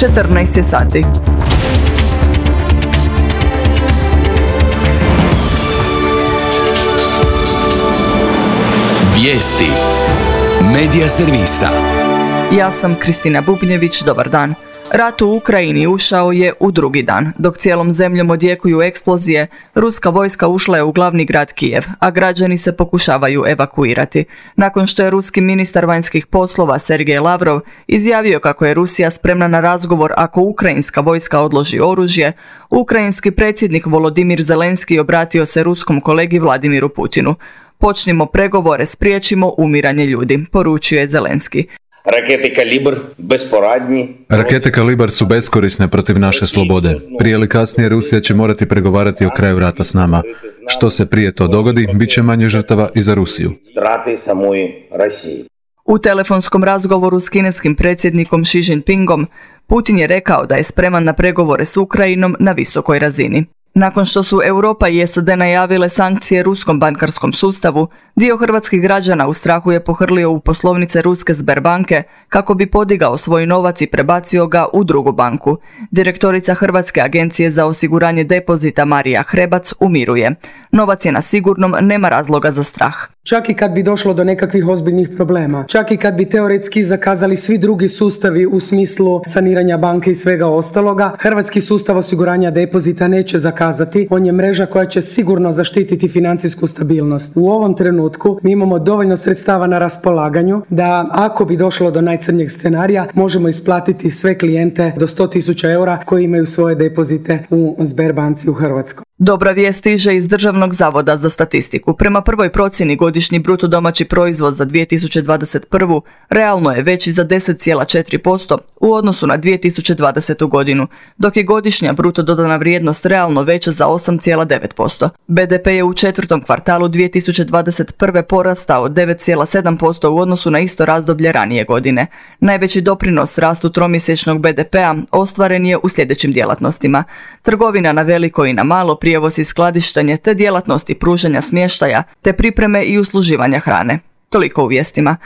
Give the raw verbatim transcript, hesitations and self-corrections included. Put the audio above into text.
četrnaest je sati. Vijesti Medija servisa. Ja sam Kristina Bubnjević, dobar dan. Rat u Ukrajini ušao je u drugi dan. Dok cijelom zemljom odjekuju eksplozije, ruska vojska ušla je u glavni grad Kijev, a građani se pokušavaju evakuirati. Nakon što je ruski ministar vanjskih poslova Sergej Lavrov izjavio kako je Rusija spremna na razgovor ako ukrajinska vojska odloži oružje, ukrajinski predsjednik Volodimir Zelenski obratio se ruskom kolegi Vladimiru Putinu. Počnimo pregovore, spriječimo umiranje ljudi, poručio je Zelenski. Rakete Kalibr besporadni. Rakete Kalibar su beskorisne protiv naše slobode. Prije ili kasnije Rusija će morati pregovarati o kraju rata s nama. Što se prije to dogodi, bit će manje žrtava i za Rusiju. U telefonskom razgovoru s kineskim predsjednikom Xi Jinpingom, Putin je rekao da je spreman na pregovore s Ukrajinom na visokoj razini. Nakon što su Europa i S A D najavile sankcije ruskom bankarskom sustavu, dio hrvatskih građana u strahu je pohrlio u poslovnice ruske Sberbanke kako bi podigao svoj novac i prebacio ga u drugu banku. Direktorica Hrvatske agencije za osiguranje depozita Marija Hrebac umiruje. Novac je na sigurnom, nema razloga za strah. Čak i kad bi došlo do nekakvih ozbiljnih problema, čak i kad bi teoretski zakazali svi drugi sustavi u smislu saniranja banke i svega ostaloga, hrvatski sustav osiguranja depozita neće zakazati. On je mreža koja će sigurno zaštititi financijsku stabilnost. U ovom trenutku mi imamo dovoljno sredstava na raspolaganju da ako bi došlo do najcrnjeg scenarija možemo isplatiti sve klijente do sto tisuća eura koji imaju svoje depozite u Sberbanci u Hrvatskoj. Dobra vijest stiže iz Državnog zavoda za statistiku. Prema prvoj procjeni godišnji bruto domaći proizvod za dvije tisuće dvadeset prvu realno je veći za deset zarez četiri posto u odnosu na dvije tisuće dvadesetu godinu, dok je godišnja bruto dodana vrijednost realno veća za osam zarez devet posto. B D P je u četvrtom kvartalu dvije tisuće dvadeset prve porastao devet zarez sedam posto u odnosu na isto razdoblje ranije godine. Najveći doprinos rastu tromjesečnog B D P-a ostvaren je u sljedećim djelatnostima: trgovina na veliko i na malo, prijevoz i skladištenje te djelatnosti pružanja smještaja te pripreme i usluživanja hrane. Toliko u vijestima.